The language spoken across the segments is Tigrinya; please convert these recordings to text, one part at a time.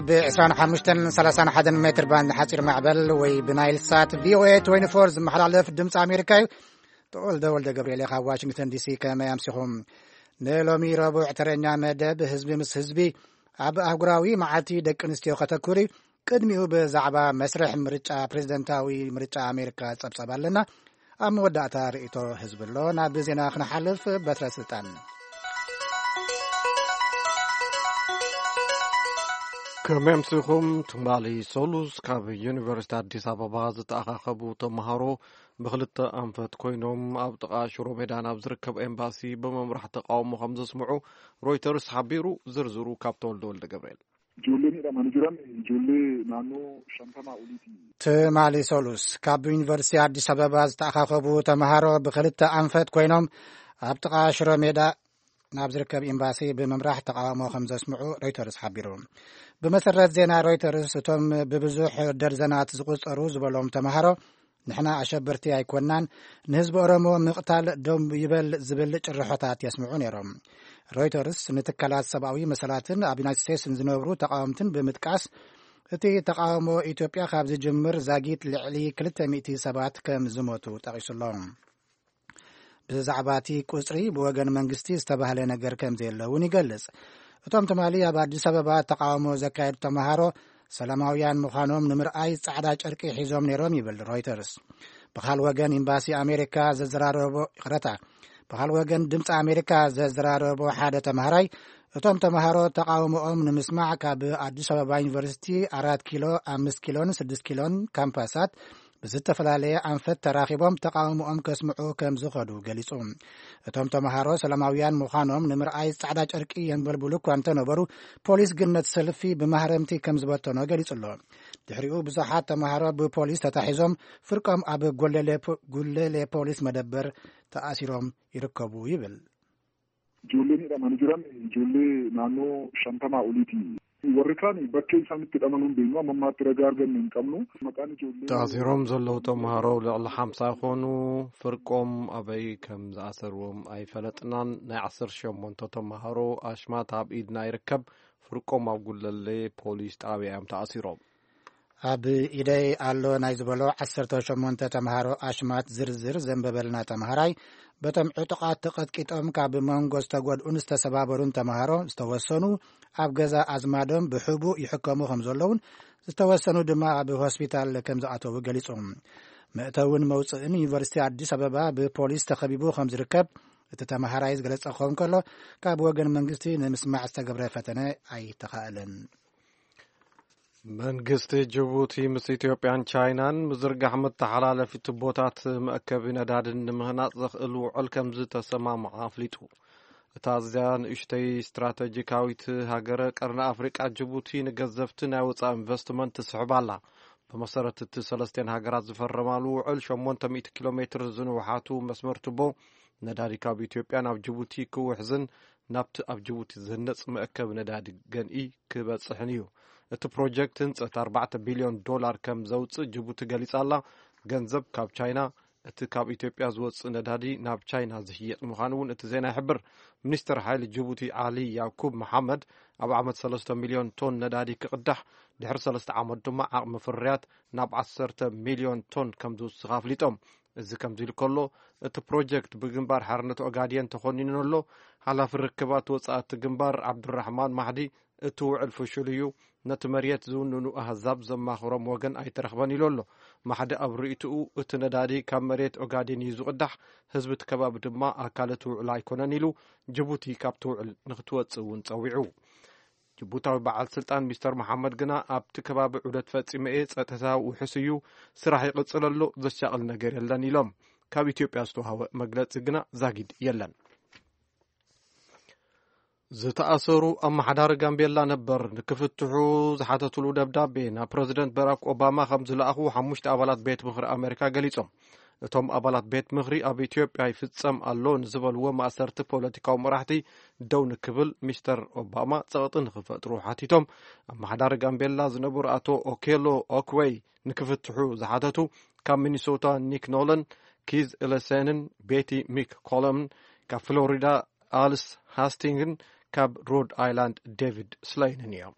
ብ25ን 31 ሜትር ባንድ ሓፂር ማዕበል ወይ ብናይል ሳት ቪኦኤ 24 ዝመሓላለፍ ድምፂ ኣሜሪካ እዩ። ተወልደ ወልደ ገብርኤል ካብ ዋሽንግተን ዲሲ። ከመይ ኣምሲኹም? ንሎሚ ረቡዕ ተረኛ መደብ ህዝቢ ምስ ህዝቢ ኣብ ኣህጉራዊ መዓልቲ ደቂ ኣንስትዮ ከተኩር እዩ። ቅድሚኡ ብዛዕባ መስርሕ ምርጫ፣ ፕሬዝደንታዊ ምርጫ ኣሜሪካ ጸብጸብ ኣለና። ኣብ መወዳእታ ርእይቶ ህዝቢ ኣሎ። ናብ ዜና ክንሓልፍ፣ በትረ ስልጣን። ከመይ ኣምሲኹም? ትማሊ ሰሉስ ካብ ዩኒቨርሲቲ ኣዲስ ኣበባ ዝተኣኻኸቡ ተምሃሮ ብክልተ ኣንፈት ኮይኖም ኣብ ጥቓ ሽሮ ሜዳ ናብ ዝርከብ ኤምባሲ ብምምራሕ ተቃውሞ ከም ዘስምዑ ሮይተርስ ሓቢሩ። ዝርዝሩ ካብ ተወልደ ወልደ ገብርኤል። Ijoolleen hidhamanii jiran ijoollee naannoo 50 oliiti. ትማሊ ሰሉስ ካብ ዩኒቨርሲቲ ኣዲስ ኣበባ ዝተኣኻኸቡ ተምሃሮ ብክልተ ኣንፈት ኮይኖም ኣብ ጥቓ ሽሮ ሜዳ ናብ ዝርከብ ኤምባሲ ብምምራሕ ተቃውሞ ከም ዘስምዑ ሮይተርስ ሓቢሩ። ብመሰረት ዜና ሮይተርስ፣ እቶም ብብዙሕ ደርዘናት ዝቁጸሩ ዝበሎም ተምሃሮ ንሕና ኣሸበርቲ ኣይኮናን፣ ንህዝቢ ኦሮሞ ምቕታል ደው ይበል ዝብል ጭርሖታት የስምዑ ነይሮም። ሮይተርስ ንትካላት ሰብኣዊ መሰላትን ኣብ ዩናይትድ ስቴትስ ንዝነብሩ ተቃወምትን ብምጥቃስ፣ እቲ ተቃውሞ ኢትዮጵያ ካብ ዝጅምር ዛጊት ልዕሊ 200 ሰባት ከም ዝሞቱ ጠቒሱሎ። ብዛዕባ እቲ ቁጽሪ ብወገን መንግስቲ ዝተባህለ ነገር ከም ዘየለ እውን ይገልጽ። እቶም ትማሊ ኣብ ኣዲስ ኣበባ ተቃውሞ ዘካየዱ ተምሃሮ ሰላማውያን ምዃኖም ንምርኣይ ጻዕዳ ጨርቂ ሒዞም ነይሮም ይብል ሮይተርስ። ብኻል ወገን ኤምባሲ ኣሜሪካ ዘዘራረቦ፣ ይቕረታ፣ ብኻል ወገን ድምፂ ኣሜሪካ ዘዘራረቦ ሓደ ተምሃራይ፣ እቶም ተምሃሮ ተቃውሞኦም ንምስማዕ ካብ ኣዲስ ኣበባ ዩኒቨርሲቲ 4 ኪሎ፣ 5 ኪሎን 6 ኪሎን ካምፓሳት ብዝተፈላለየ ኣንፈት ተራኺቦም ተቃውሞኦም ከስምዑ ከም ዝኸዱ ገሊጹ። እቶም ተምሃሮ ሰላማውያን ምዃኖም ንምርኣይ ጻዕዳ ጨርቂ የንበልብሉ እኳ እንተነበሩ፣ ፖሊስ ግን ነቲ ሰልፊ ብማህረምቲ ከም ዝበተኖ ገሊጹ ኣሎ። ድሕሪኡ ብዙሓት ተምሃሮ ብፖሊስ ተታሒዞም ፍርቆም ኣብ ጎለሌ ፖ-፣ ጉለሌ ፖሊስ መደበር ተኣሲሮም ይርከቡ ይብል። Ijoolleen hidhamanii jiran ijoollee naannoo 50 oliiti. Warri kaan bakkee isaan itti hidhaman hin beeknu, amma ammaatti ragaa arganne hin qabnu. Maqaan ijoollee taasiroም ዘለዉ ተምሃሮ ልዕሊ ሓምሳ ይኾኑ። ፍርቆም ኣበይ ከም ዝኣሰርዎም ኣይፈለጥናን። ናይ ዓሰርተ ሸሞንተ ተምሃሮ ኣሽማት ኣብ ኢድና ይርከብ። ፍርቆም ኣብ ጉለሌ ፖሊስ ጣብያ እዮም ተኣሲሮም። ኣብ ኢደይ ኣሎ ናይ ዝበሎ ዓሰርተ ሸሞንተ ተምሃሮ ኣሽማት ዝርዝር ዘንበበልና ተምሃራይ፣ በቶም ዕጡቓት ተቐጥቂጦም ካብ መንጎ ዝተጎድኡን ዝተሰባበሩን ተምሃሮ ዝተወሰኑ ኣብ ገዛ ኣዝማዶም ብሕቡእ ይሕከሙ ከም ዘለውን ዝተወሰኑ ድማ ኣብ ሆስፒታል ከም ዝኣተዉ ገሊጹ። መእተውን መውጽእን ዩኒቨርሲቲ ኣዲስ ኣበባ ብፖሊስ ተኸቢቡ ከም ዝርከብ እቲ ተምሃራይ ዝገለጸ ክኸውን ከሎ፣ ካብ ወገን መንግስቲ ንምስማዕ ዝተገብረ ፈተነ ኣይተኻእለን። መንግስቲ ጅቡቲ ምስ ኢትዮጵያን ቻይናን ምዝርጋሕ መተሓላለፊ ቱቦታት መእከቢ ነዳድን ንምህናጽ ዘኽእል ውዕል ከም ዝተሰማምዐ ኣፍሊጡ። እታ ኣዝያ ንእሽተይ ስትራተጂካዊት ሃገረ ቀርኒ ኣፍሪቃ ጅቡቲ ንገዘፍቲ ናይ ወጻኢ ኢንቨስትመንት ትስሕብ ኣላ። ብመሰረት እቲ ሰለስቴን ሃገራት ዝፈረማሉ ውዕል፣ ሸሞንተ ሚእቲ ኪሎ ሜትር ዝንውሓቱ መስመር ቱቦ ነዳዲ ካብ ኢትዮጵያ ናብ ጅቡቲ ክውሕዝን ናብቲ ኣብ ጅቡቲ ዝህነጽ መእከቢ ነዳዲ ገንኢ ክበጽሕን እዩ። እቲ ፕሮጀክት ህንጸት ኣርባዕተ ቢልዮን ዶላር ከም ዘውጽእ ጅቡቲ ገሊጻ ኣላ። ገንዘብ ካብ ቻይና፣ እቲ ካብ ኢትዮጵያ ዝወጽእ ነዳዲ ናብ ቻይና ዝሽየጥ ምዃኑ እውን እቲ ዜና ይሕብር። ሚኒስትር ሓይሊ ጅቡቲ ዓሊ ያኩብ መሓመድ ኣብ ዓመት ሰለስተ ሚልዮን ቶን ነዳዲ ክቕዳሕ፣ ድሕሪ ሰለስተ ዓመት ድማ ዓቕሚ ፍርያት ናብ ዓሰርተ ሚልዮን ቶን ከም ዝውስኽ ኣፍሊጦም። እዚ ከምዚ ኢሉ ከሎ፣ እቲ ፕሮጀክት ብግንባር ሓርነት ኦጋዴን ተኾኒኑ ኣሎ። ሓላፊ ርክባት ወጻእቲ ግንባር ዓብዱራሕማን ማሕዲ፣ እቲ ውዕል ፍሹል እዩ፣ ነቲ መሬት ዝውንኑ ኣህዛብ ዘማኽሮም ወገን ኣይተረኽበን ኢሉ ኣሎ። ማሕዲ ኣብ ርእይትኡ፣ እቲ ነዳዲ ካብ መሬት ኦጋዴን እዩ ዝቕዳሕ፣ ህዝቢ እቲ ከባቢ ድማ ኣካል እቲ ውዕል ኣይኮነን ኢሉ፣ ጅቡቲ ካብቲ ውዕል ንክትወጽእ እውን ጸዊዑ። ጅቡታዊ በዓል ስልጣን ሚስተር መሓመድ ግና፣ ኣብቲ ከባቢ ዑደት ፈጺመ እየ፣ ጸጥታ ውሑስ እዩ፣ ስራሕ ይቕጽል ኣሎ፣ ዘሻቕል ነገር የለን ኢሎም። ካብ ኢትዮጵያ ዝተዋህበ መግለጺ ግና ዛጊድ የለን። ዝተኣሰሩ ኣመሓዳሪ ጋምቤላ ነበር ንክፍትሑ ዝሓተትሉ ደብዳቤ ናብ ፕረዚደንት በራክ ኦባማ ከም ዝለኣኹ ሓሙሽተ ኣባላት ቤት ምኽሪ ኣሜሪካ ገሊጾም። እቶም ኣባላት ቤት ምኽሪ ኣብ ኢትዮጵያ ይፍጸም ኣሎ ንዝበልዎ ማእሰርቲ ፖለቲካዊ መራሕቲ ደው ንክብል ሚስተር ኦባማ ጸቕጢ ንክፈጥሩ ሓቲቶም። ኣመሓዳሪ ጋምቤላ ዝነበሩ ኣቶ ኦኬሎ ኦክወይ ንክፍትሑ ዝሓተቱ፣ ካብ ሚኒሶታ ኒክ ኖለን፣ ኪዝ ኢለሰንን ቤቲ ሚክ ኮለምን፣ ካብ ፍሎሪዳ ኣልስ ሃስቲንግን ካብ ሮድ ኣይላንድ ዴቪድ ስለይንን እዮም።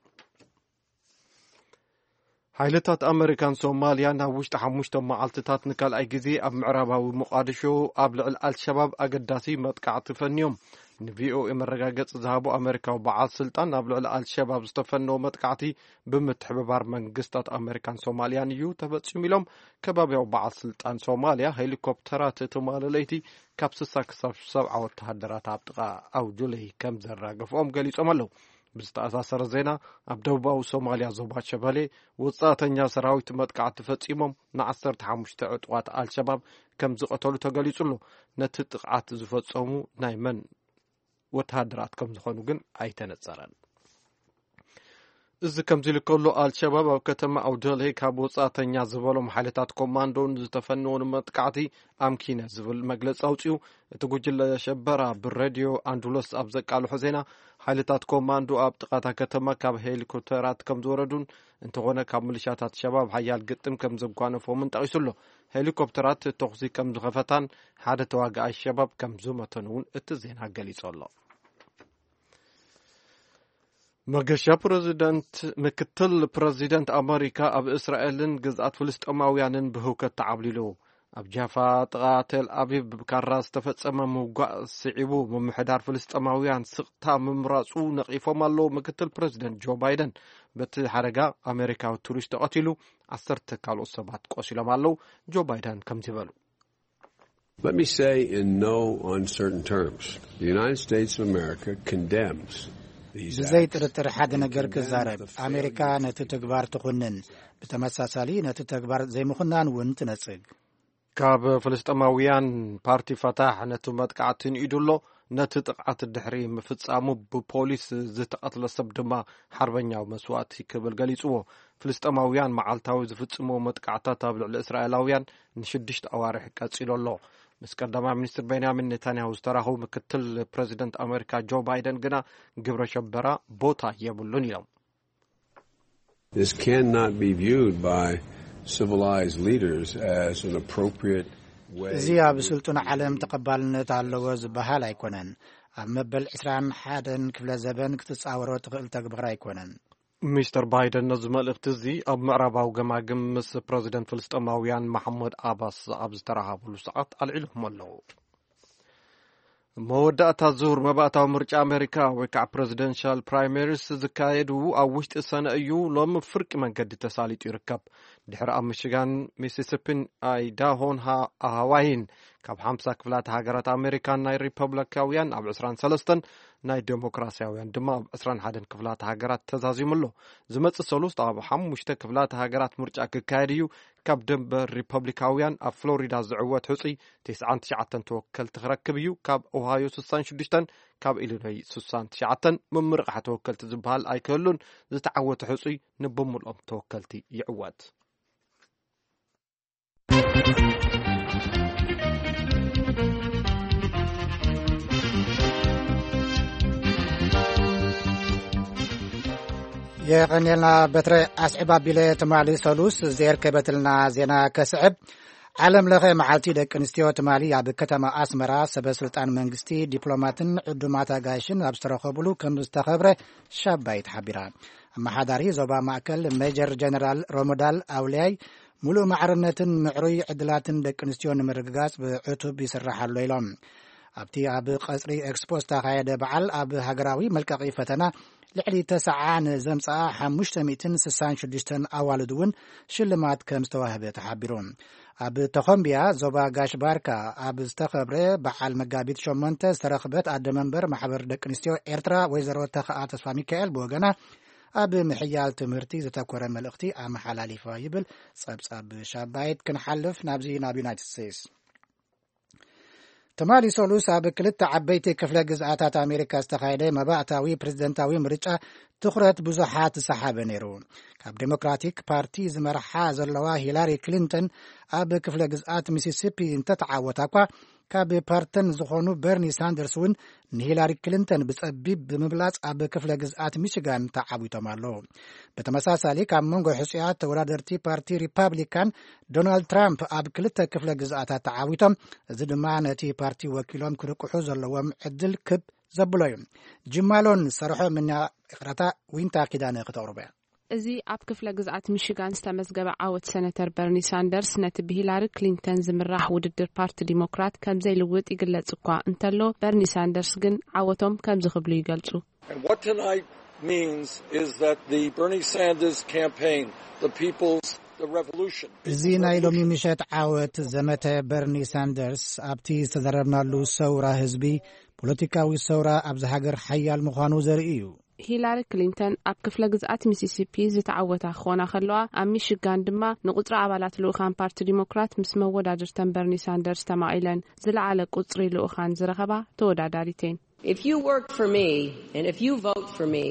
ሓይልታት ኣመሪካን ሶማልያ ናብ ውሽጢ ሓሙሽተ መዓልትታት ንካልኣይ ግዜ ኣብ ምዕራባዊ ሞቓድሾ ኣብ ልዕሊ ኣልሸባብ ኣገዳሲ መጥቃዕቲ ፈንዮም። ንቪኦኤ መረጋገጺ ዝሃቡ ኣመሪካዊ በዓል ስልጣን፣ ኣብ ልዕሊ ኣልሸባብ ዝተፈነወ መጥቃዕቲ ብምትሕብባር መንግስታት ኣመሪካን ሶማልያን እዩ ተፈጺሙ ኢሎም። ከባቢያዊ በዓል ስልጣን ሶማልያ፣ ሄሊኮፕተራት ትማሊ ለይቲ ካብ ስሳ ክሳብ ሰብዓ ወተሃደራት ኣብ ጥቓ ኣውጁለይ ከም ዘራገፍኦም ገሊጾም ኣለዉ። ብዝተኣሳሰረ ዜና፣ ኣብ ደቡባዊ ሶማልያ ዞባ ሸበሌ ወጻእተኛ ሰራዊት መጥቃዕቲ ፈጺሞም ንዓሰርተ ሓሙሽተ ዕጡቓት ኣልሸባብ ከም ዝቐተሉ ተገሊጹ ኣሎ። ነቲ ጥቕዓት ዝፈጸሙ ናይ መን ወተሃደራት ከም ዝኾኑ ግን ኣይተነጸረን። እዚ ከምዚ ኢሉ ከሎ፣ ኣልሸባብ ኣብ ከተማ ኣውደልሄ ካብ ወጻእተኛ ዝበሎም ሓይልታት ኮማንዶ ንዝተፈነወ መጥቃዕቲ ኣምኪነ ዝብል መግለጺ ኣውጺኡ። እቲ ጉጅለ ሸበራ ብሬድዮ ኣንዱሎስ ኣብ ዘቃልሖ ዜና፣ ሓይልታት ኮማንዶ ኣብ ጥቓታ ከተማ ካብ ሄሊኮፕተራት ከም ዝወረዱን፣ እንተኾነ ካብ ሚሊሻታት ሸባብ ሓያል ግጥም ከም ዘጓነፎምን ጠቒሱ ኣሎ። ሄሊኮፕተራት ተኹሲ ከም ዝኸፈታን ሓደ ተዋጋኣይ ሸባብ ከም ዝመተን እውን እቲ ዜና ገሊጹ ኣሎ። መገሻ ፕረዚደንት፣ ምክትል ፕረዚደንት ኣመሪካ ኣብ እስራኤልን ግዝኣት ፍልስጤማውያንን ብህውከት ተዓብሊሉ። ኣብ ጃፋ ጥቓ ቴል ኣቪቭ ብካራ ዝተፈጸመ ምውጋእ ስዒቡ፣ ምምሕዳር ፍልስጤማውያን ስቕታ ምምራጹ ነቒፎም ኣለዉ። ምክትል ፕረዚደንት ጆ ባይደን፣ በቲ ሓደጋ ኣመሪካዊ ቱሪስት ተቐቲሉ፣ ዓሰርተ ካልኦት ሰባት ቆሲሎም ኣለዉ። ጆ ባይደን ከምዚ በሉ። Let me say in no uncertain terms, the United States of America condemns these ብዘይ acts ጥርጥር ሓደ and ነገር condemns ክዛረብ፣ the ኣሜሪካ failure ነቲ ተግባር ትኹንን፣ ብተመሳሳሊ ነቲ ተግባር ዘይምኹናን እውን ትነጽግ። ካብ ፍልስጤማውያን፣ ፓርቲ ፈታሕ ነቲ መጥቃዕቲ ንኢዱ ኣሎ። ነቲ ጥቕዓት ድሕሪ ምፍጻሙ ብፖሊስ ዝተቐትለ ሰብ ድማ ሓርበኛዊ መስዋእቲ ክብል ገሊጽዎ። ፍልስጤማውያን መዓልታዊ ዝፍጽምዎ መጥቃዕታት ኣብ ልዕሊ እስራኤላውያን ንሽዱሽተ ኣዋርሕ ቀጺሉ ኣሎ። ምስ ቀዳማይ ሚኒስትር ቤንያሚን ኔታንያሁ ዝተራኸቡ ምክትል ፕረዚደንት ኣመሪካ ጆ ባይደን ግና ግብረ ሸበራ ቦታ የብሉን ኢሎም። This cannot be viewed by civilized leaders as an appropriate way እዚ ኣብ in ስልጡን ዓለም ተቐባልነት ኣለዎ ዝበሃል ኣይኮነን። ኣብ መበል ዕስራን ሓደን ክፍለ ዘበን ክትጻወሮ ትኽእል ተግባር ኣይኮነን። ሚስተር ባይደን ነዚ መልእኽቲ እዚ ኣብ ምዕራባዊ ገማግም ምስ ፕረዚደንት ፍልስጤማውያን መሓመድ ኣባስ ኣብ ዝተራኸብሉ ሰዓት ኣልዒሎሞ ኣለዉ። መወዳእታ ዙር መባእታዊ ምርጫ ኣሜሪካ፣ ወይ ከዓ ፕረዚደንሻል ፕራይመሪስ፣ ዝካየዱ ኣብ ውሽጢ ሰነ እዩ። ሎሚ ፍርቂ መንገዲ ተሳሊጡ ይርከብ። ድሕሪ ኣብ ሚሽጋን፣ ሚሲሲፒን፣ ኣይዳሆን ሃ-፣ ሃዋይን ካብ ሓምሳ ክፍላተ ሃገራት ኣሜሪካን ናይ ሪፐብሊካውያን ኣብ ዕስራን ሰለስተን፣ ናይ ዴሞክራሲያውያን ድማ ኣብ ዕስራን ሓደን ክፍላተ ሃገራት ተዛዚሙ ኣሎ። ዝመጽእ ሰሉስት ኣብ ሓሙሽተ ክፍላተ ሃገራት ምርጫ ክካየድ እዩ። ካብ ደንበ ሪፐብሊካውያን ኣብ ፍሎሪዳ ዝዕወት ሕጹይ ተስዓን ትሽዓተን ተወከልቲ ክረክብ እዩ። ካብ ኦሃዮ ስሳን ሽዱሽተን፣ ካብ ኢሊኖይ ስሳን ትሽዓተን ምምርቓሕ ተወከልቲ ዝበሃል ኣይክህሉን። ዝተዓወተ ሕጹይ ንብምልኦም ተወከልቲ ይዕወት። የቐንየልና በትረ። ኣስዕብ ኣቢለ ትማሊ ሰሉስ ዘየርከበትልና ዜና ከስዕብ። ዓለም ለኸ መዓልቲ ደቂ ኣንስትዮ ትማሊ ኣብ ከተማ ኣስመራ ሰበ ስልጣን መንግስቲ፣ ዲፕሎማትን ዕዱማት ኣጋይሽን ኣብ ዝተረኸቡሉ ከም ዝተኸብረ ሻባይ ተሓቢራ። ኣመሓዳሪ ዞባ ማእከል ሜጀር ጀነራል ሮሞዳል ኣውልያይ፣ ሙሉእ ማዕርነትን ምዕሩይ ዕድላትን ደቂ ኣንስትዮ ንምርግጋጽ ብዕቱብ ይስራሕ ኣሎ ኢሎም። ኣብቲ ኣብ ቀጽሪ ኤክስፖ ዝተኻየደ በዓል፣ ኣብ ሃገራዊ መልቀቒ ፈተና ልዕሊ ተስዓ ንዘምጽኣ ሓሙሽተ ሚእትን ስሳን ሽዱሽተን ኣዋልድ እውን ሽልማት ከም ዝተዋህበ ተሓቢሩ። ኣብ ተኾምቢያ ዞባ ጋሽ ባርካ ኣብ ዝተኸብረ በዓል መጋቢት ሸሞንተ ዝተረኽበት ኣደ መንበር ማሕበር ደቂ ኣንስትዮ ኤርትራ ወይዘሮ ተኸኣ ተስፋ ሚካኤል ብወገና፣ ኣብ ምሕያል ትምህርቲ ዝተኮረ መልእኽቲ ኣመሓላሊፋ ይብል ጸብጻብ ሻባይት። ክንሓልፍ ናብዚ ናብ ዩናይትድ ስቴትስ። ትማሊ ሰሉስ ኣብ ክልተ ዓበይቲ ክፍለ ግዝኣታት ኣሜሪካ ዝተኻየደ መባእታዊ ፕሬዝደንታዊ ምርጫ ትኹረት ብዙሓት ዝሰሓበ ነይሩ። ካብ ዴሞክራቲክ ፓርቲ ዝመርሓ ዘለዋ ሂላሪ ክሊንተን ኣብ ክፍለ ግዝኣት ሚሲሲፒ እንተተዓወታ እኳ፣ ካብ ፓርተን ዝኾኑ በርኒ ሳንደርስ እውን ንሂላሪ ክሊንተን ብጸቢብ ብምብላጽ ኣብ ክፍለ ግዝኣት ሚችጋን ተዓዊቶም ኣለዉ። ብተመሳሳሊ፣ ካብ መንጎ ሕጹያት ተወዳደርቲ ፓርቲ ሪፓብሊካን ዶናልድ ትራምፕ ኣብ ክልተ ክፍለ ግዝኣታት ተዓዊቶም፣ እዚ ድማ ነቲ ፓርቲ ወኪሎም ክርቅሑ ዘለዎም ዕድል ክብ ዘብሎ እዩ። ጅማሎን ሰርሖ ምና ይቕረታ፣ ዊንታ ኪዳነ ክተቕርቦ እያ። እዚ ኣብ ክፍለ ግዝኣት ሚሽጋን ዝተመዝገበ ዓወት ሰነተር በርኒ ሳንደርስ፣ ነቲ ብሂላሪ ክሊንተን ዝምራሕ ውድድር ፓርቲ ዲሞክራት ከም ዘይልውጥ ይግለጽ እኳ እንተሎ፣ በርኒ ሳንደርስ ግን ዓወቶም ከምዚ ክብሉ ይገልጹ። And what tonight means is that the Bernie Sanders campaign, the people's, the revolution, እዚ ናይ ሎሚ ምሸት ዓወት ዘመተ በርኒ ሳንደርስ ኣብቲ ዝተዘረብናሉ ሰውራ ህዝቢ፣ ፖለቲካዊ ሰውራ ኣብዚ ሃገር ሓያል ምዃኑ ዘርኢ እዩ። ሂላሪ ክሊንተን ኣብ ክፍለ ግዝኣት ሚሲሲፒ ዝተዓወታ ክኾና ከለዋ፣ ኣብ ሚሽጋን ድማ ንቁጽሪ ኣባላት ልኡኻን ፓርቲ ዲሞክራት ምስ መወዳድርተን በርኒ ሳንደርስ ተማቒለን ዝለዓለ ቁጽሪ ልኡኻን ዝረኸባ ተወዳዳሪቴን። If you work for me and if you vote for me,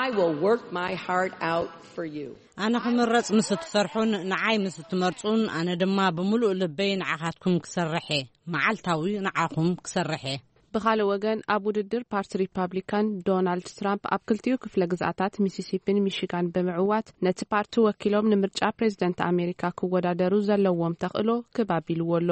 I will work my heart out for you. ኣነ ክምረጽ ምስ እትሰርሑን ንዓይ ምስ እትመርጹን፣ ኣነ ድማ ብምሉእ ልበይ ንዓኻትኩም ክሰርሕ እየ። መዓልታዊ ንዓኹም ክሰርሕ እየ። ብኻልእ ወገን፣ ኣብ ውድድር ፓርቲ ሪፓብሊካን ዶናልድ ትራምፕ ኣብ ክልቲኡ ክፍለ ግዝኣታት ሚሲሲፒን ሚሽጋን ብምዕዋት፣ ነቲ ፓርቲ ወኪሎም ንምርጫ ፕሬዝደንት ኣሜሪካ ክወዳደሩ ዘለዎም ተኽእሎ ክብ ኣቢልዎ ኣሎ።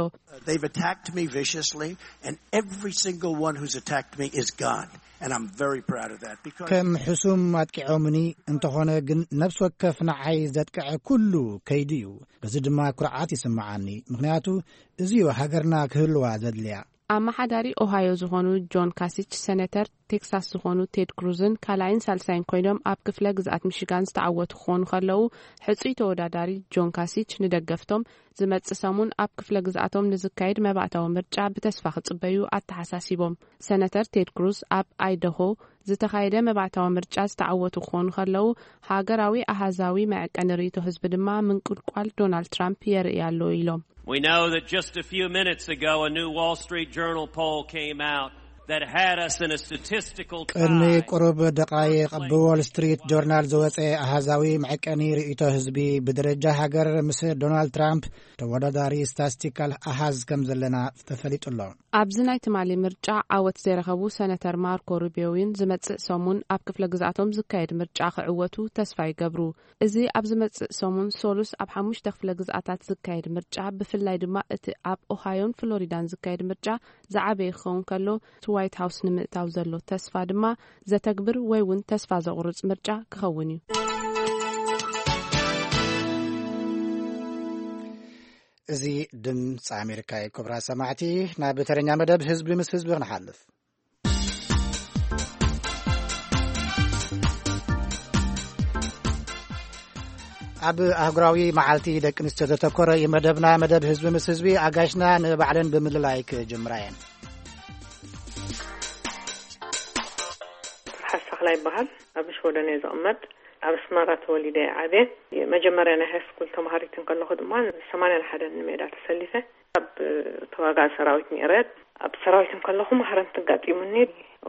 They've attacked me viciously, and every single one who's attacked me is gone. And I'm very proud of that because ከም ሕሱም ኣጥቂዖምኒ እንተኾነ ግን፣ ነፍሲ ወከፍ ንዓይ ዘጥቅዐ ኩሉ ከይዱ እዩ። በዚ ድማ ኩርዓት ይስምዓኒ፣ ምኽንያቱ እዚዮ ሃገርና ክህልዋ ዘድልያ። ኣመሓዳሪ ኦሃዮ ዝኾኑ ጆን ካሲች፣ ሰነተር ቴክሳስ ዝኾኑ ቴድ ክሩዝን ካልኣይን ሳልሳይን ኮይኖም ኣብ ክፍለ ግዝኣት ሚሽጋን ዝተዓወቱ ክኾኑ ከለዉ፣ ሕጹይ ተወዳዳሪ ጆን ካሲች ንደገፍቶም ዝመጽእ ሰሙን ኣብ ክፍለ ግዝኣቶም ንዝካየድ መባእታዊ ምርጫ ብተስፋ ክጽበዩ ኣተሓሳሲቦም። ሰነተር ቴድ ክሩዝ ኣብ ኣይደሆ ዝተኻየደ መባእታዊ ምርጫ ዝተዓወቱ ክኾኑ ከለዉ፣ ሃገራዊ ኣሃዛዊ መዐቀኒ ርእይቶ ህዝቢ ድማ ምንቁልቋል ዶናልድ ትራምፕ የርኢ ኣሎ ኢሎም። We know that just a few minutes ago, a new Wall Street Journal poll came out that had us in a statistical ቅድሚ tie. ቁሩብ ደቓይቕ ብዎል ስትሪት ጆርናል ዝወጸ ኣሃዛዊ መዐቀኒ ርእይቶ ህዝቢ፣ ብደረጃ ሃገር ምስ ዶናልድ ትራምፕ ተወዳዳሪ ስታስቲካል ኣሃዝ ከም ዘለና ተፈሊጡ ኣሎ። ኣብዚ ናይ ትማሊ ምርጫ ዓወት ዘይረኸቡ ሰነተር ማርኮ ሩቢዮ እውን ዝመጽእ ሰሙን ኣብ ክፍለ ግዝኣቶም ዝካየድ ምርጫ ክዕወቱ ተስፋ ይገብሩ። እዚ ኣብ ዝመጽእ ሰሙን ሶሉስ ኣብ ሓሙሽተ ክፍለ ግዝኣታት ዝካየድ ምርጫ፣ ብፍላይ ድማ እቲ ኣብ ኦሃዮን ፍሎሪዳን ዝካየድ ምርጫ ዝዓበየ ክኸውን ከሎ፣ እቲ ዋይት ሃውስ ንምእታው ዘሎ ተስፋ ድማ ዘተግብር ወይ እውን ተስፋ ዘቑርጽ ምርጫ ክኸውን እዩ። እዚ ድምፂ ኣሜሪካ እዩ። ክቡራት ሰማዕቲ፣ ናብ ተረኛ መደብ ህዝቢ ምስ ህዝቢ ክንሓልፍ። ኣብ ኣህጉራዊ መዓልቲ ደቂ ኣንስትዮ ዘተኮረ እዩ መደብና። መደብ ህዝቢ ምስ ህዝቢ፣ ኣጋይሽና ንባዕለን ብምልላይ ክጅምራ እየን። ፍርሓት ሳሕላ ይበሃል። ኣብ ሽወደን እየ ዝቕመጥ። ኣብ ኣስመራ ተወሊደ እየ ዓብየ። መጀመርያ ናይ ሃይስኩል ተምሃሪት እንከለኹ ድማ ሰማንያን ሓደን ንሜዳ ተሰሊፈ። ኣብ ተዋጋኢ ሰራዊት ነይረ። ኣብ ሰራዊት እንከለኹ ማህረምቲ ኣጋጢሙኒ።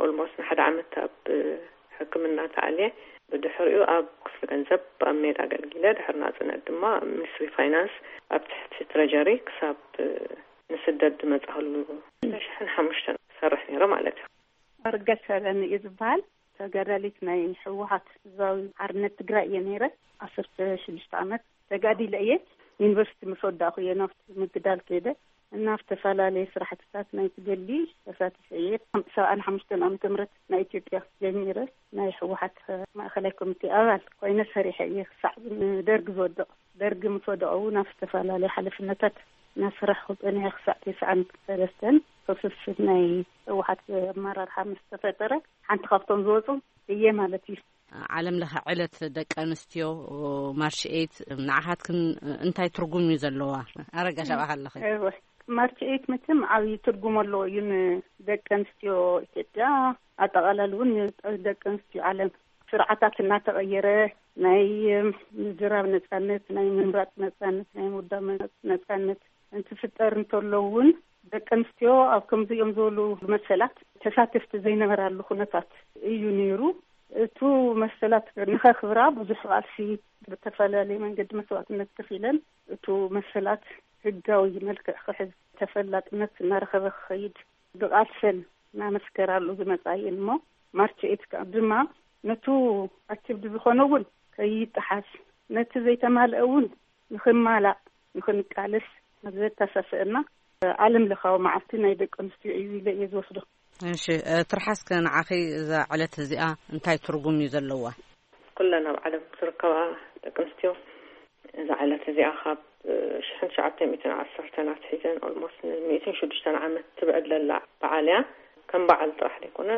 ኦልሞስት ንሓደ ዓመት ኣብ ሕክምና ተኣልየ። ብድሕሪኡ ኣብ ክፍሊ ገንዘብ ኣብ ሜዳ ኣገልጊለ። ድሕሪ ናጽነት ድማ ኣብ ሚኒስትሪ ፋይናንስ ኣብ ትሕቲ ትረጀሪ ክሳብ ንስደት ዝመጻእሉ ሽሕን ሓሙሽተን ክሰርሕ ነይረ ማለት እዩ። ኣርገሽ ሰለኒ እዩ ዝበሃል። ተጋዳሊት ናይ ህወሓት ህዝባዊ ሓርነት ትግራይ እየ ነይረ። ዓሰርተ ሽዱሽተ ዓመት ተጋዲለ እየ። ዩኒቨርሲቲ ምስ ወዳእኩ እየ ናብቲ ምግዳል ከይደ። እና ኣብ ዝተፈላለየ ስራሕትታት ናይ ትገሊ ተሳቲፈ እየ። ሰብዓን ሓሙሽተን ዓመተ ምህረት ናይ ኢትዮጵያ ጀሚረ ናይ ህወሓት ማእኸላይ ኮሚቴ ኣባል ኮይነ ሰሪሐ እየ ክሳዕ ደርግ ዝወድቕ። ደርግ ምስ ወደቐ እውን ኣብ ዝተፈላለየ ሓላፍነታት እናሰራሕኩ ጸኒሐ ክሳዕ ተስዓን ሰለስተን ህሱስ ናይ ህወሓት ኣመራርሓ ምስ ተፈጠረ ሓንቲ ካብቶም ዝወፁ እየ ማለት እዩ። ዓለም ለኸ ዕለት ደቂ ኣንስትዮ ማርች ኤይት ንዓኻትክን እንታይ ትርጉም እዩ ዘለዋ? ኣረጋሽ ኣብኣ ኣለኺ። እወ፣ ማርች ኤይት መቸም ዓብዪ ትርጉም ኣለዎ እዩ ንደቂ ኣንስትዮ ኢትዮጵያ፣ ኣጠቓላሊ እውን ንደቂ ኣንስትዮ ዓለም። ስርዓታት እናተቐየረ ናይ ምዝራብ ነጻነት፣ ናይ ምምራፅ ነጻነት፣ ናይ ምውዳብ ነጻነት እንትፍጠር እንተሎ እውን ደቂ ኣንስትዮ ኣብ ከምዚኦም ዝበሉ መሰላት ተሳተፍቲ ዘይነበራሉ ኩነታት እዩ ነይሩ። እቱ መሰላት ንኸክብራ ብዙሕ ቃልሲ ብተፈላለየ መንገዲ መስዋዕትነት ከፊለን እቱ መሰላት ህጋዊ መልክዕ ክሕዝ ተፈላጥነት እናረኸበ ክኸይድ ብቃልሰን እናመስከራሉ ዝመጻ እየን እሞ ማርች ኤይት ከዓ ድማ ነቱ ኣክቲቭ ዝኾነ እውን ከይጠሓስ ነቲ ዘይተማልአ እውን ንኽማላእ ንኽንቃለስ ዘተሳስአና ዓለም ለኻዊ መዓልቲ ናይ ደቂ ኣንስትዮ እዩ ኢለ እየ ዝወስዶ። እሺ፣ እ፣ ትርሓስከ ንዓኺ እዛ ዕለት እዚኣ እንታይ ትርጉም እዩ ዘለዋ? ኩለን ኣብ ዓለም ዝርከባ ደቂ ኣንስትዮ እዛ ዕለት እዚኣ ካብ ሽሕን ትሽዓተ ሚእትን ዓሰርተን ኣትሒዘን ኦልሞስት ንሚእትን ሽዱሽተን ዓመት ትብዕድ ለላ በዓል እያ። ከም በዓል ጥራሕ ዘይኮነ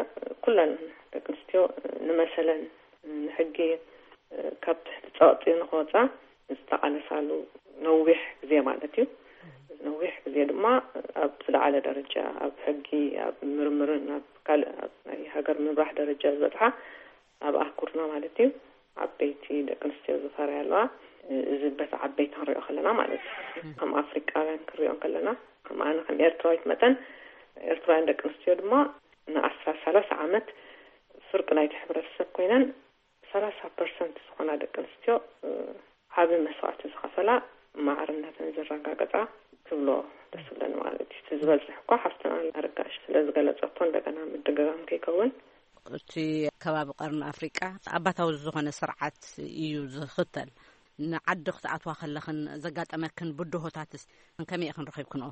ኩለን ደቂ ኣንስትዮ ንመሰለን ንሕጊ ካብ ትሕቲ ጸቕጢ ንክወጻ ዝተቓለሳሉ ነዊሕ ግዜ ማለት እዩ። ነዊሕ ግዜ ድማ ኣብ ዝለዓለ ደረጃ ኣብ ሕጊ፣ ኣብ ምርምርን ኣብ ካልእ ኣብ ናይ ሃገር ምምራሕ ደረጃ ዝበጽሓ ኣብ ኣህጉርና ማለት እዩ ዓበይቲ ደቂ ኣንስትዮ ዝፈርያ ኣለዋ። እዚ በቲ ዓበይቲ ክንሪኦ ከለና ማለት እዩ። ከም ኣፍሪቃውያን ክንሪኦ ከለና ከም ኣነ ከም ኤርትራዊት መጠን ኤርትራውያን ደቂ ኣንስትዮ ድማ ንኣስራ ሰላሳ ዓመት ፍርቂ ናይቲ ሕብረተሰብ ኮይነን ሰላሳ ፐርሰንት ዝኾና ደቂ ኣንስትዮ ዓቢ መስዋእቲ ዝኸፈላ ማዕርነተን ዘረጋገጻ ክብሎ ደስ ዝብለኒ ማለት እዩ። እቲ ዝበዝሕ እኳ ሓፍትና ኣረጋሽ ስለ ዝገለጸቶ እንደገና ምድግጋም ከይከውን። እቲ ከባቢ ቀርኒ ኣፍሪቃ ኣባታዊ ዝኾነ ስርዓት እዩ ዝኽተል። ንዓዲ ክትኣትዋ ከለኽን ዘጋጠመክን ብድሆታትስ ከመይ ኢኽን ረኺብክንኦ?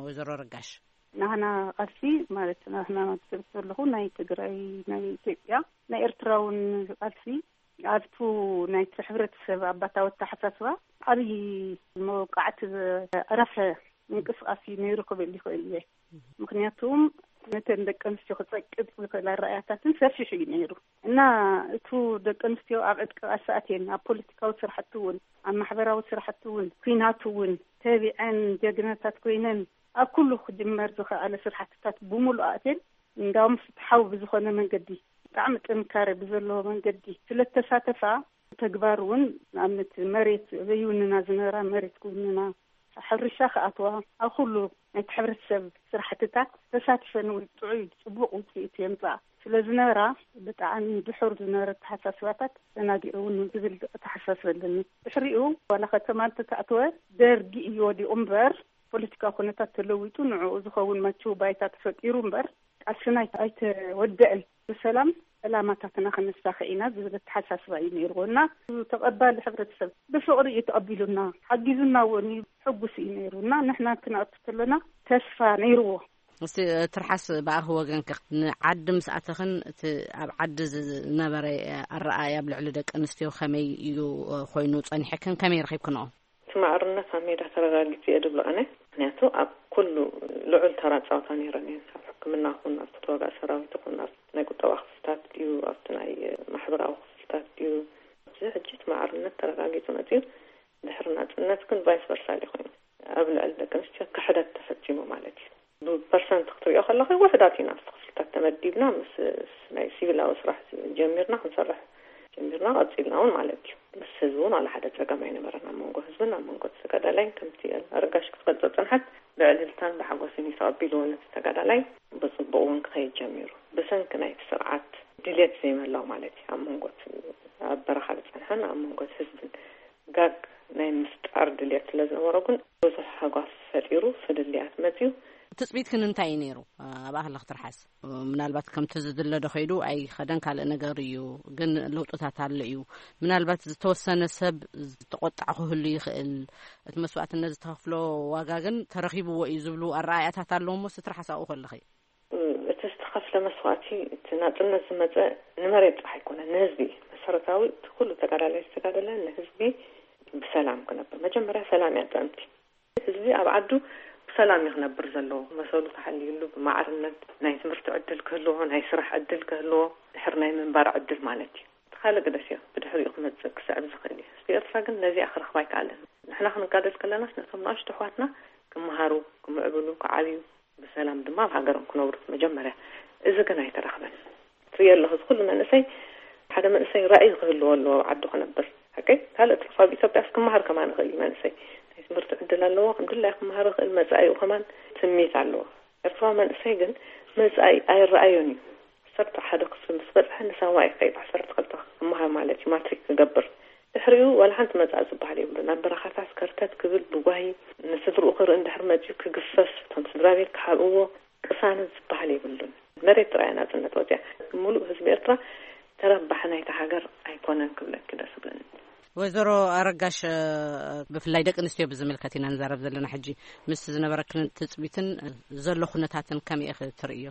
ወይዘሮ ኣረጋሽ። ናህና ቃልሲ ማለት ናህና ማለት ዘለኹ ናይ ትግራይ፣ ናይ ኢትዮጵያ፣ ናይ ኤርትራ እውን ቃልሲ ኣብቱ ናይቲ ሕብረተሰብ ኣባታዊ ኣተሓሳስባ ዓብዪ መወቃዕቲ ዘዕረፈ ምንቅስቃስ እዩ ነይሩ ክብል ይኽእል እየ። ምክንያቱም ነተን ደቂ ኣንስትዮ ክጸቅጥ ዝኽእል ኣረኣያታትን ሰፊሕ እዩ ነይሩ እና እቱ ደቂ ኣንስትዮ ኣብ ዕጥቂ ቃልሲ ኣትየን ኣብ ፖለቲካዊ ስራሕቲ እውን ኣብ ማሕበራዊ ስራሕቲ እውን ኩናት እውን ተቢዐን ጀግናታት ኮይነን ኣብ ኩሉ ክጅመር ዝኸኣለ ስራሕትታት ብምሉእ ኣትየን እንዳውም ፍትሓዊ ብዝኾነ መንገዲ ብጣዕሚ ጥንካሬ ብዘለዎ መንገዲ ስለ ተሳተፋ ተግባር እውን ንኣብነት መሬት ዘይውንና ዝነበራ መሬት ክውንና ሕርሻ ክኣትዋ ኣብ ኩሉ ናይቲ ሕብረተሰብ ስራሕትታት ተሳቲፈን እውን ጥዑይ ፅቡቕ ውፅኢት የምፅኣ ስለ ዝነበራ ብጣዕሚ ድሑር ዝነበረ ኣተሓሳስባታት ተናጊዑ እውን ዝብል ኣተሓሳስበ ኣለኒ። ድሕሪኡ ዋላ ከተማ እንተተኣተወ ደርጊ እዩ ወዲቑ እምበር ፖለቲካዊ ኩነታት ተለዊጡ ንዕኡ ዝኸውን መችው ባይታ ተፈጢሩ እምበር ቃልስና ኣይተወደአን። ብሰላም ዕላማታትና ከነሳኺ ኢና ዝብል ኣተሓሳስባ እዩ ነይርዎ እና ተቐባሊ ሕብረተሰብ ብፍቕሪ እዩ ተቐቢሉና ሓጊዙና እውን እዩ ሕጉስ እዩ ነይሩ እና ንሕና ክንኣቱ ከለና ተስፋ ነይርዎ። እስቲ ትርሓስ ብኣኺ ወገንኪ ንዓዲ ምስ ኣተኽን እቲ ኣብ ዓዲ ዝነበረ ኣረኣእያ ኣብ ልዕሊ ደቂ ኣንስትዮ ከመይ እዩ ኮይኑ ጸኒሕክን ከመይ ረኺብክንኦ? እቲ ማዕርነት ኣብ ሜዳ ተረጋጊጹ እየ ድብሎ ኣነ። ምክንያቱ ኣብ ኩሉ ልዑል ተራ ጻወታ ነይረን እየን። ኣብ ሕክምና ይኹን፣ ኣብቲ ተዋጋኢ ሰራዊት ይኹን፣ ኣብቲ ናይ ቁጠባ ክፍልታት ድዩ፣ ኣብቲ ናይ ማሕበራዊ ክፍልታት ድዩ፣ ኣብዚ ሕጂ እቲ ማዕርነት ተረጋጊጹ መጺኡ። ድሕሪ ናጽነት ግን ቫይስ ቨርሳ ድዩ ኮይኑ? ኣብ ልዕሊ ደቂ ኣንስትዮ ክሕደት ተፈጺሙ ማለት እዩ። ብፐርሰንት ክትሪኦ ከለኺ ውሑዳት ኢና ኣብቲ ክፍልታት ተመዲብና ምስ ናይ ሲቪላዊ ስራሕ ጀሚርና ክንሰርሕ ጀሚርና ቀጺልና እውን ማለት እዩ። ምስ ህዝቢ እውን ዋላ ሓደ ጸገም ኣይነበረን ኣብ መንጎ ህዝብን ኣብ መንጎ ተጋዳላይን ከምቲ ኣረጋሽ ክትገልጾ ዝጸንሐት ብዕልልታን ብሓጎስን እዩ ተቐቢልዎ ነቲ ተጋዳላይ ብጽቡቕ እውን ክኸይድ ጀሚሩ። ብሰንኪ ናይቲ ስርዓት ድሌት ዘይምህላው ማለት እዩ ኣብ መንጎ እቲ ኣብ በረኻ ዝጸንሐን ኣብ መንጎ እቲ ህዝብን ጋግ ናይ ምፍጣር ድሌት ስለ ዝነበሮ ግን ብዙሕ ሃጓፍ ፈጢሩ ፍልልያት መጺኡ። ትጽቢትክን እንታይ እዩ ነይሩ? ኣብኣ ከለኺ ትርሓስ ምናልባት ከምቲ ዝድለ ዶ ከይዱ ኣይኸደን ካልእ ነገር እዩ ግን ለውጥታት ኣሎ እዩ። ምናልባት ዝተወሰነ ሰብ ዝተቆጣዕ ክህሉ ይኽእል። እቲ መስዋእትነት ዝተኸፍሎ ዋጋ ግን ተረኺብዎ እዩ ዝብሉ ኣረኣእያታት ኣለዎ እሞ እስቲ ትርሓስ ኣብኡ ከለኺ። እቲ ዝተኸፍለ መስዋእቲ እቲ ናጽነት ዝመጸ ንመሬት ጥራሕ ኣይኮነን ንህዝቢ እዩ። መሰረታዊ እቲ ኩሉ ተጋዳላይ ዝተጋደለ ንህዝቢ ብሰላም ክነብር መጀመርያ ሰላም እያ ጥዕምቲ። ህዝቢ ኣብ ዓዱ ብሰላም እዩ ክነብር ዘለዎ። መሰሉ ተሓልዩሉ ብማዕርነት ናይ ትምህርቲ ዕድል ክህልዎ፣ ናይ ስራሕ ዕድል ክህልዎ፣ ድሕር ናይ ምንባር ዕድል ማለት እዩ። እቲ ካልእ ግደስ እዮ ብድሕሪኡ ክመጽእ ክስዕብ ዝኽእል እዩ። ህዝቢ ኤርትራ ግን ነዚኣ ክረኽባ ኣይከኣለን። ንሕና ክንጋደል ከለናስ ነቶም ንኣሽቱ ኣሕዋትና ክመሃሩ፣ ክምዕብሉ፣ ክዓብዩ፣ ብሰላም ድማ ኣብ ሃገሮም ክነብሩ መጀመርያ። እዚ ግን ኣይተረኽበን። ትርእዮ ኣለኺ እዚ ኩሉ መንእሰይ ሓደ መንእሰይ ራእይ ክህልዎ ኣለዎ ኣብ ዓዱ ክነብር። ሓቀይ ካልእ ትርፎ ኣብ ኢትዮጵያስ ክመሃር ከማን ይኽእል እዩ መንእሰይ ናይ ትምህርቲ ዕድል ኣለዎ ከም ድላይ ክመሃር ይኽእል መጻኢኡ ከማን ትምኒት ኣለዎ። ኤርትራዊ መንእሰይ ግን መጻኢ ኣይረኣዮን እዩ። ዓሰርተ ሓደ ክፍሊ ምስ በጽሐ ንሳዋ ይኸይድ ዓሰርተ ክልተ ክመሃር ማለት እዩ ማትሪክ ክገብር። ድሕሪኡ ዋላ ሓንቲ መጻኢ ዝበሃል የብሉን። ናብ በረኻታት ከርተት ክብል ብጓሂ ንስድርኡ ክርኢ እንድሕር መጺኡ ክግፈፍ እቶም ስድራ ቤት ክሓብእዎ ቅሳነት ዝበሃል የብሉን። መሬት ጥራይ ናጽነት ወጽያ። ምሉእ ህዝቢ ኤርትራ ተረባሒ ናይታ ሃገር ኣይኮነን ክብለኪ ደስ ዝብለኒ። ወይዘሮ ኣረጋሽ ብፍላይ ደቂ ኣንስትዮ ብዝምልከት ኢና ንዛረብ ዘለና ሕጂ ምስ ዝነበረክን ትጽቢትን ዘሎ ኩነታትን ከመይ ኢኺ ትርእዮ?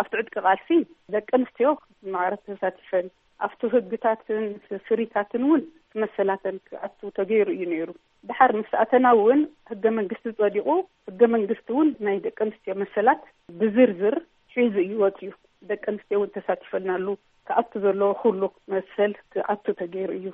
ኣብቲ ዕጥቂ ቃልሲ ደቂ ኣንስትዮ ማዕረ ተሳቲፈን ኣብቲ ህግታትን ፍሪታትን እውን መሰላተን ክኣቱ ተገይሩ እዩ ነይሩ። ድሓር ምስ ኣተና እውን ህገ መንግስቲ ጸዲቑ፣ ህገ መንግስቲ እውን ናይ ደቂ ኣንስትዮ መሰላት ብዝርዝር ሒዙ እዩ ወፂኡ። ደቂ ኣንስትዮ እውን ተሳቲፈልናሉ። ክኣቱ ዘለዎ ኩሉ መሰል ክኣቱ ተገይሩ እዩ።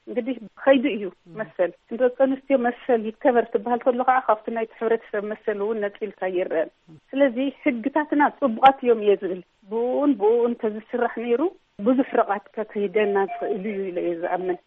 እንግዲህ ከይዱ እዩ መሰል። ደቂ ኣንስትዮ መሰል ይከበር ትበሃል ከሎ ከዓ ካብቲ ናይቲ ሕብረተሰብ መሰል እውን ነፂልካ ይረአን። ስለዚ ህግታትና ፅቡቓት እዮም እየ ዝብል። ብኡን ብኡን ተዝስራሕ ነይሩ ብዙሕ ርቓት ከክሂደና ዝኽእል እዩ ኢለ እየ ዝኣምን።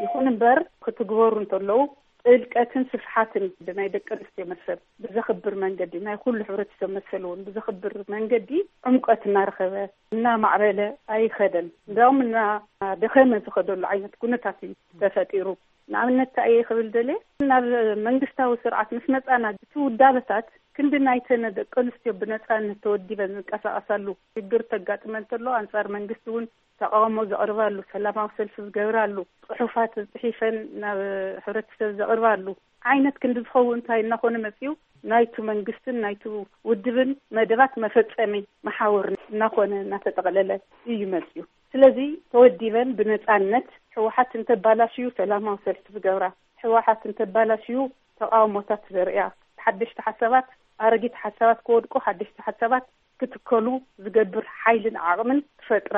ይኹን እምበር ክትግበሩ እንተለዉ ጥልቀትን ስፍሓትን ናይ ደቂ ኣንስትዮ መሰል ብዘኽብር መንገዲ፣ ናይ ኩሉ ሕብረተሰብ መሰል እውን ብዘኽብር መንገዲ ዕምቀት እናረኸበ እናማዕበለ ኣይኸደን። እንዲያውም እናደኸመ ዝኸደሉ ዓይነት ኩነታት እዩ ተፈጢሩ። ንኣብነት እንታይ እየ ክብል ደልየ፣ ናብ መንግስታዊ ስርዓት ምስ መጻና እቲ ውዳበታት ክንዲ ናይተን ደቂ ኣንስትዮ ብነጻነት ተወዲበን ዝንቀሳቐሳሉ ሽግር ተጋጥመን እንተሎ ኣንጻር መንግስቲ እውን ተቃውሞ ዘቕርባሉ፣ ሰላማዊ ሰልፊ ዝገብራሉ፣ ጽሑፋት ጽሒፈን ናብ ሕብረተሰብ ዘቕርባሉ ዓይነት ክንዲ ዝኸውን እንታይ እናኾነ መጺኡ፣ ናይቱ መንግስትን ናይቱ ውድብን መደባት መፈጸሚ መሓውር እናኾነ እናተጠቕለለ እዩ መጺኡ። ስለዚ ተወዲበን ብነጻነት ህወሓት እንተባላሽዩ ሰላማዊ ሰልፊ ዝገብራ፣ ህወሓት እንተባላሽዩ ተቃውሞታት ዘርእያ፣ ሓደሽቲ ሓሳባት፣ ኣረጊት ሓሳባት ክወድቁ፣ ሓደሽቲ ሓሳባት ክትከሉ ዝገብር ሓይልን ዓቕምን ትፈጥራ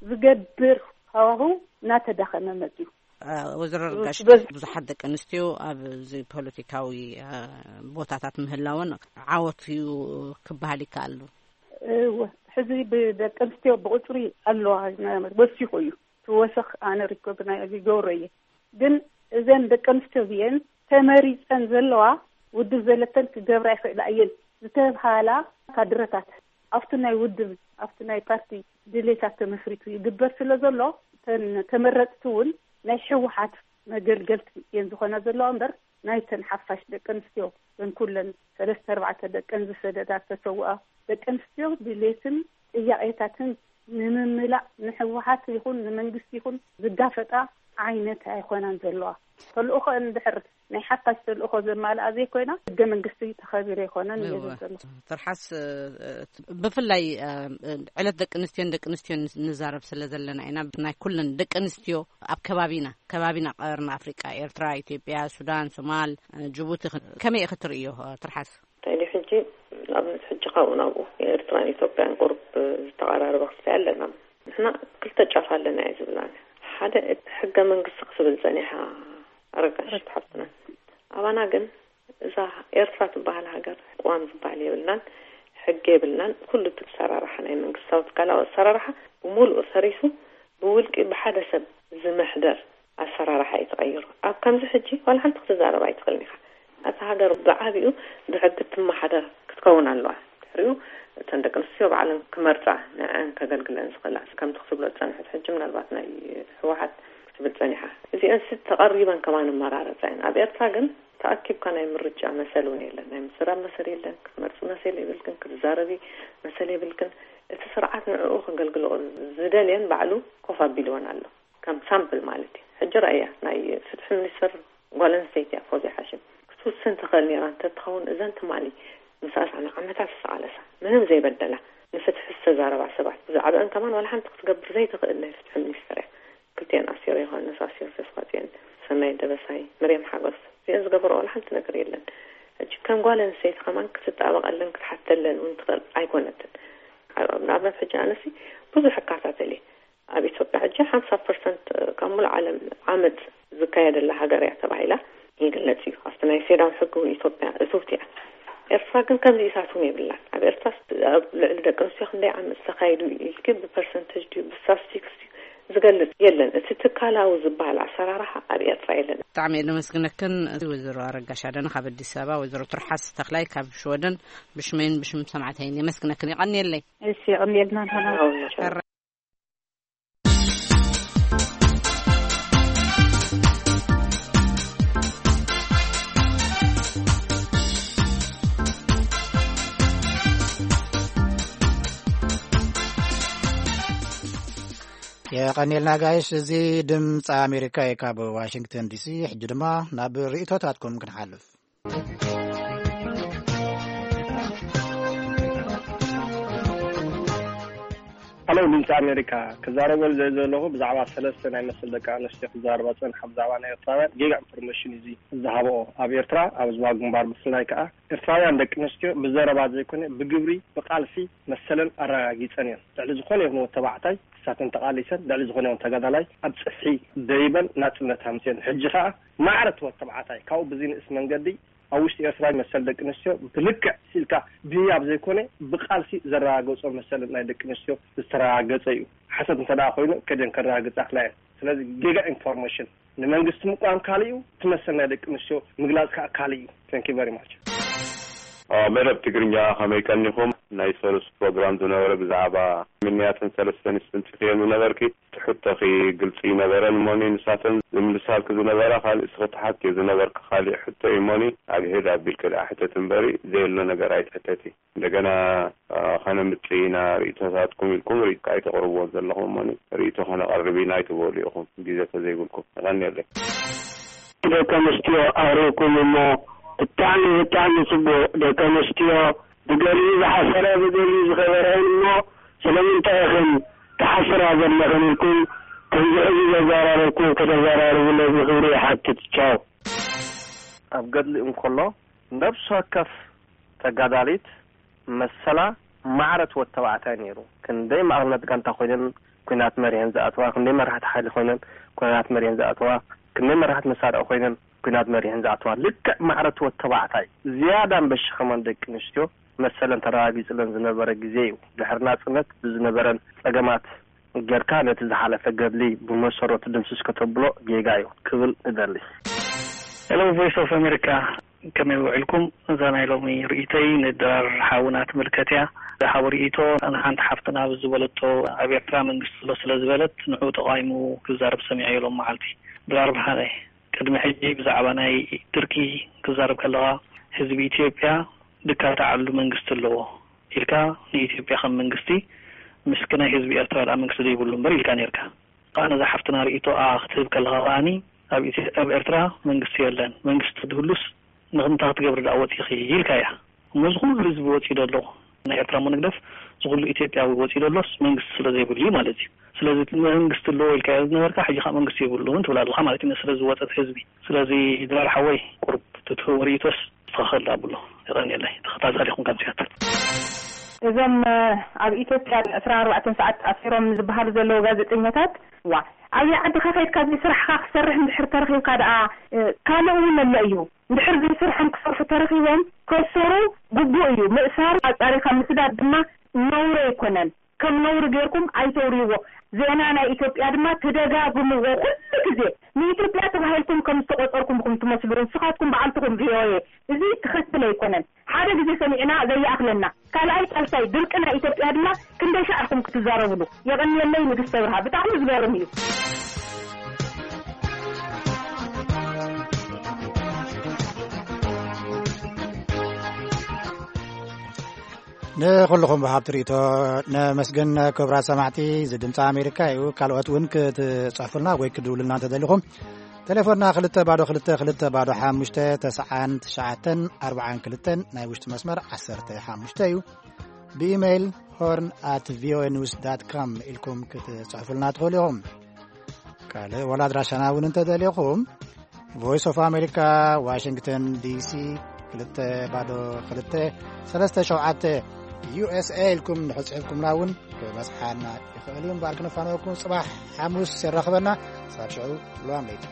ዝገብር ሃዋህው እናተዳኸመ መፅዩ። እ፣ ወይዘሮ ርጋሽ፣ በዚ ብዙሓት ደቂ ኣንስትዮ ኣብዚ ፖለቲካዊ፣ እ፣ ቦታታት ምህላወን ዓወት እዩ ክበሃል ይከኣል። እወ፣ ሕዚ ብደቂ ኣንስትዮ ብቁፅሪ ኣለዋ፣ ወሲኹ እዩ። ትወሰኽ ኣነ ሪኮግናይዝ ይገብሮ እየ። ግን እዘን ደቂ ኣንስትዮ እዚአን ተመሪፀን ዘለዋ ውድብ ዘለተን ክገብራ ይኽእላ እየን ዝተብሃላ ካድረታት ኣብቲ ናይ ውድብ፣ ኣብቲ ናይ ፓርቲ ድሌታት ተመስሪቱ ይግበር ስለ ዘሎ፣ እተን ተመረፅቲ እውን ናይ ህወሓት መገልገልቲ እየን ዝኾና ዘለዋ እምበር ናይተን ሓፋሽ ደቂ ኣንስትዮ፣ እተን ኩለን ሰለስተ ኣርባዕተ ደቀን ዝሰደዳ ዝተሰውኣ ደቂ ኣንስትዮ ድሌትን ጥያቄታትን ንምምላእ ንህወሓት ይኹን ንመንግስቲ ይኹን ዝጋፈጣ ዓይነት ኣይኮናን ዘለዋ። ተልእኾ እንድሕር ናይ ሓፋሽ ተልእኾ ዘማልኣ ዘይኮይና፣ ህገ መንግስቲ ተኸቢሩ ኣይኮነን እየ እወ። ዝብል ዘለኹ። ትርሓስ፣ እ፣ እ፣ ብፍላይ፣ እ፣ እ፣ ዕለት ደቂ ኣንስትዮን ደቂ ኣንስትዮን ንዛረብ ስለ ዘለና ኢና። ናይ ኩለን ደቂ ኣንስትዮ ኣብ ከባቢና፣ ከባቢና ቀርኒ ኣፍሪቃ፣ ኤርትራ፣ ኢትዮጵያ፣ ሱዳን፣ ሶማል፣ እ፣ ጅቡቲ፣ ከመይ ኢኺ ትርእዮ፣ እ፣ ትርሓስ? እንታይ ድዩ ሕጂ፣ ንኣብነት ሕጂ ካብኡ ናብኡ፣ ኤርትራን ኢትዮጵያን ቁሩብ ዝተቐራረበ ክስታይ ኣለና። ንሕና ክልተ ጫፍ ኣለና እየ ዝብል ኣነ። ሓደ፣ እቲ ሕገ መንግስቲ ክትብል ጸኒሓ ኣረጋሽ ሓፍትና። ኣባና ግን እዛ ኤርትራ ትበሃል ሃገር ቅዋም ዝበሃል የብልናን፣ ሕጊ የብልናን። ኩሉ እቲ ኣሰራርሓ ናይ መንግስታዊ ትካላዊ ኣሰራርሓ ብምሉኡ ፈሪሱ ብውልቂ ብሓደ ሰብ ዝምሕደር ኣሰራርሓ እዩ ተቐይሩ። ኣብ ከምዚ ሕጂ ዋላ ሓንቲ ክትዛረብ ኣይትኽእልን ኢኻ። እታ ሃገር ብዓቢኡ ብሕጊ ትመሓደር ክትከውን ኣለዋ። ድሕሪኡ እተን ደቂ ኣንስትዮ ባዕለን ክመርጻ፣ ንዐን ከገልግለን ዝኽእላ። ከምቲ ክትብሎ ዝጸንሐት ሕጂ ምናልባት ናይ ህወሓት ክትብል ጸኒሓ። እዚአን ሲ ተቐሪበን ከማን መራረጻ እየን። ኣብ ኤርትራ ግን ተኣኪብካ ናይ ምርጫ መሰል እውን የለን። ናይ ምዝራብ መሰል የለን። ክትመርጺ መሰል የብልክን፣ ክትዛረቢ መሰል የብልክን። እቲ ስርዓት ንዕኡ ከገልግሎ ዝደልየን ባዕሉ ኮፍ ኣቢልወን ኣሎ። ከም ሳምፕል ማለት እዩ። ሕጂ ራእያ ናይ ፍትሒ ሚኒስትር ጓል ኣንስተይቲ እያ፣ ፎዝያ ሓሽም። ክትውስን ትኽእል ነይራ እንተትኸውን፣ እዘን ትማሊ ምስ ኣስዓና ዓመታት ዝተቓለሳ፣ ምንም ዘይበደላ፣ ንፍትሒ ዝተዛረባ ሰባት፣ ብዛዕባአን ከማን ዋላ ሓንቲ ክትገብር ዘይትኽእል ናይ ፍትሒ ሚኒስትር እያ። ክልቲአን ኣስቴር ዮሃንስ፣ ኣስቴር ተስፋጽዮን፣ ሰናይት ደበሳይ፣ መርያም ሓጎስ፣ እዚአን ዝገበርኦ ዋላ ሓንቲ ነገር የለን። ሕጂ ከም ጓል ኣንስተይቲ ከማን ክትጣበቐለን ክትሓተለን እውን ትኽእል ኣይኮነትን። ንኣብነት ሕጂ ኣነሲ ብዙሕ እከታተል እየ። ኣብ ኢትዮጵያ ሕጂ ሓምሳ ፐርሰንት ካብ ሙሉእ ዓለም ዓመጽ ዝካየደላ ሃገር እያ ተባሂላ ይግለጽ እዩ። ኣብቲ ናይ ሴዳው ሕጊ እውን ኢትዮጵያ እትውቲ እያ። ኤርትራ ግን ከምዚ ኢሳት እውን የብላን። ኣብ ኤርትራ ኣብ ልዕሊ ደቂ ኣንስትዮ ክንደይ ዓመጽ ተኻይዱ ኢልኪ ብፐርሰንቴጅ ድዩ ብስታስቲክስ ድዩ ዝገልጽ የለን። እቲ ትካላዊ ዝበሃል ኣሰራርሓ ኣብ ኤርትራ የለን። ብጣዕሚ እየ ዘመስግነክን ወይዘሮ ኣረጋሽ ኣደነ ካብ ኣዲስ ኣበባ፣ ወይዘሮ ትርሓስ ተኽላይ ካብ ሽወደን ብሽመይን ብሽም ሰማዕተይን የመስግነክን። የቐንየለይ። እሺ፣ የቐንየልና። ሕራይ። የቐንየልና ጋይሽ። እዚ ድምፂ ኣሜሪካ እዩ ካብ ዋሽንግተን ዲሲ። ሕጂ ድማ ናብ ርእይቶታትኩም ክንሓልፍ። ሄሎ ድምፂ ኣሜሪካ። ክዛረበሉ ዘ ዘለኹ ብዛዕባ ሰለስተ ናይ መሰል ደቂ ኣንስትዮ ክዛረባ ፀንሓ፣ ብዛዕባ ናይ ኤርትራውያን ጌጋ ኢንፎርሜሽን እዩ ዝሃበኦ። ኣብ ኤርትራ ኣብ ዝባ ግንባር ብፍላይ ከዓ ኤርትራውያን ደቂ ኣንስትዮ ብዘረባ ዘይኮነ ብግብሪ ብቃልሲ መሰለን ኣረጋጊፀን እየን። ልዕሊ ዝኾነ ይኹን ተባዕታይ ክሳተን ተቓሊሰን፣ ልዕሊ ዝኾነ ይኹን ተጋዳላይ ኣብ ፅፍሒ ደይበን ናፅነት ሃምፅን። ሕጂ ከዓ ማዕረ ትወት ተባዕታይ ካብኡ ብዝንእስ መንገዲ ኣብ ውሽጢ ኤርትራ መሰል ደቂ ኣንስትዮ ብልክዕ ሲልካ ብህያብ ዘይኮነ ብቃልሲ ዘረጋገጾ መሰል ናይ ደቂ ኣንስትዮ ዝተረጋገጸ እዩ። ሓሰት እንተ ደኣ ኮይኑ ከደን ከረጋግጻ ክላ እየን። ስለዚ ጌጋ ኢንፎርሜሽን፣ ንመንግስቲ ምቋም ካልእ እዩ፣ እቲ መሰል ናይ ደቂ ኣንስትዮ ምግላጽ ከዓ ካልእ እዩ። Thank you very much። መደብ ትግርኛ ከመይ ቀኒኹም? ናይ ሰሉስ ፕሮግራም ዝነበረ ብዛዕባ ምንያትን ሰለስተ ኣንስትን ጽፍየን ዝነበርኪ ትሕቶኺ ግልጺ ይነበረን እሞኒ ንሳተን ዝምልሳልኪ ዝነበራ ካልእ እስኺ ትሓትዮ ዝነበርኪ ካልእ ሕቶ እዩ እሞኒ ኣግህድ ኣቢልኪ ደኣ ሕተቲ እምበሪ ዘየሎ ነገር ኣይትሕተቲ። እንደገና ከነምጽእ ኢና ርእይቶታትኩም ኢልኩም ርእይቶ ኣይተቕርብዎ ዘለኹም እሞኒ ርእይቶ ከነቐርብ ኢና ኣይትበሉ ኢኹም ግዜ ተዘይብልኩም። የቐንየለይ። ደቂ ኣንስትዮ ኣውሪእኩም እሞ ብጣዕሚ ብጣዕሚ ጽቡቕ። ደቂ ኣንስትዮ ብገሊኡ ዝሓሰረ ብገሊኡ ዝኸበረ እሞ ስለምንታይ ኢኽን ትሓስራ ዘለኽን ኢልኩም ከምዚ ሕዚ ዘዘራረብኩም ከተዘራርቡለይ ብኽብሪ ይሓትት። ቻው። ኣብ ገድሊ እንከሎ ነብሲ ወከፍ ተጋዳሊት መሰላ ማዕረ ትወት ተባዕታይ ነይሩ። ክንደይ ማእኸልነት ጋንታ ኮይነን ኩናት መሪሐን ዝኣተዋ፣ ክንደይ መራሕቲ ሓይሊ ኮይነን ኩናት መሪሐን ዝኣተዋ፣ ክንደይ መራሕቲ መሳርዒ ኮይነን ኩናት መሪሐን ዝኣተዋ። ልክዕ ማዕረ ትወት ተባዕታይ ዝያዳ በሽኸመን ደቂ ኣንስትዮ መሰለን ተረጋጊፅለን ዝነበረ ግዜ እዩ። ድሕሪ ናፅነት ብዝነበረን ፀገማት ጌርካ ነቲ ዝሓለፈ ገድሊ ብመሰረቱ ድምስስ ከተብሎ ጌጋ እዩ ክብል እደሊ። ሄሎ ቮይስ ኦፍ ኣሜሪካ፣ ከመይ ውዕልኩም? እዛ ናይ ሎሚ ርእይቶይ ንድራር ሓውና ትምልከት እያ። ዝሃቦ ርእይቶ ንሓንቲ ሓፍትና ዝበለቶ ኣብ ኤርትራ መንግስቲ ኣሎ ስለ ዝበለት ንዑ ተቓዊሙ ክዛረብ ሰሚዐዮ ሎም መዓልቲ። ድራር ብርሃነ፣ ቅድሚ ሕጂ ብዛዕባ ናይ ድርቂ ክዛረብ ከለኻ ህዝቢ ኢትዮጵያ ድካ ተዓሉ መንግስቲ ኣለዎ ኢልካ ንኢትዮጵያ ከም መንግስቲ ምስቲ ናይ ህዝቢ ኤርትራ ደኣ መንግስቲ ዘይብሉ እምበር ኢልካ ነርካ። ከዓ ነዛ ሓፍትና ርእይቶኣ ክትህብ ከለኻ ከኣኒ ኣብ ኢትዮ- ኣብ ኤርትራ መንግስቲ የለን፣ መንግስቲ ትህሉስ ንክምንታ ክትገብሪ ደኣ ወፂኺ ኢልካ እያ። እሞ እዚ ኩሉ ህዝቢ ወፂኡ ደሎ ናይ ኤርትራ እሞ ንግደፍ፣ እዚ ኩሉ ኢትዮጵያዊ ወፂኡ ደሎስ መንግስቲ ስለ ዘይብሉ እዩ ማለት እዩ። ስለዚ እቲ መንግስቲ ኣለዎ ኢልካ ዝነበርካ ሕጂ ከዓ መንግስቲ የብሉን ትብል ኣለካ ማለት እዩ። ስለዚ ወፀት ህዝቢ። ስለዚ ድራር ሓወይ ቁርብ ትትህቦ ርእይቶስ ትኸኸል ኣብሎ። የቐንየለይ ተኸታታሊ ኹም ከም ሲያትል። እዞም ኣብ ኢትዮጵያ ዕስራን ኣርባዕተን ሰዓት ኣሲሮም ዝበሃሉ ዘለዉ ጋዜጠኛታት፣ ዋ፣ ኣብይ ዓድኻ ከይድካ እዚ ስራሕኻ ክትሰርሕ እንድሕር ተረኺብካ ደኣ ካልእ እውን ኣሎ እዩ። እንድሕር ዘይስርሖም ክሰርሑ ተረኺቦም ከሰሩ ግቡእ እዩ። ምእሳር ኣጻሪኻ ምስዳድ ድማ ነውሪ ኣይኮነን። ከም ነውሪ ጌርኩም ኣይተውርይዎ። ዜና ናይ ኢትዮጵያ ድማ ትደጋግምዎ ኩሉ ግዜ። ንኢትዮጵያ ተባሂልኩም ከም ዝተቆጸርኩም ኢኹም ትመስሉ ንስኻትኩም በዓልትኹም ቪኦኤ። እዚ ትኽክል ኣይኮነን። ሓደ ግዜ ሰሚዕና ዘይኣኽለና። ካልኣይ ሳልሳይ ድርቂ ናይ ኢትዮጵያ ድማ ክንደይ ሻዕ ኢኹም ክትዛረብሉ? የቐንየለይ ንግስተ ብርሃ። ብጣዕሚ ዝገርም እዩ። ንኹልኹም ብሃብቲ ርእቶ ነመስግን። ክብራት ሰማዕቲ፣ እዚ ድምፂ ኣሜሪካ እዩ። ካልኦት እውን ክትፅሕፉልና ወይ ክድውሉልና እንተደሊኹም፣ ቴሌፎንና ክልተ ባዶ ክልተ ክልተ ባዶ ሓሙሽተ ተስዓን ትሽዓተን ኣርባዓን ክልተን ናይ ውሽጢ መስመር ዓሰርተ ሓሙሽተ እዩ። ብኢሜይል ሆርን ኣት ቪኦኤ ኒውስ ዳት ኮም ኢልኩም ክትፅሕፉልና ትኽእሉ ኢኹም። ካልእ ወላ ኣድራሻና እውን እንተደሊኹም፣ ቮይስ ኦፍ ኣሜሪካ፣ ዋሽንግተን ዲሲ፣ ክልተ ባዶ ክልተ ሰለስተ ሸውዓተ፣ ዩ ኤስ ኤ ኢልኩም እንድሕር ጽሒፍኩምና እውን ክበጽሓና ይኽእል እዩ። እምበኣር ክነፋንወኩም ጽባሕ ሓሙስ የራኽበና። ክሳብ ሽዑ፣ ሰላም ለይቲ።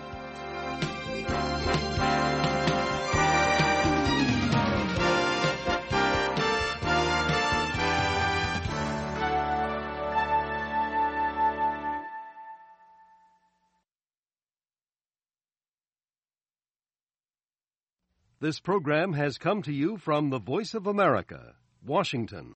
This program has come to you from the Voice of America, Washington.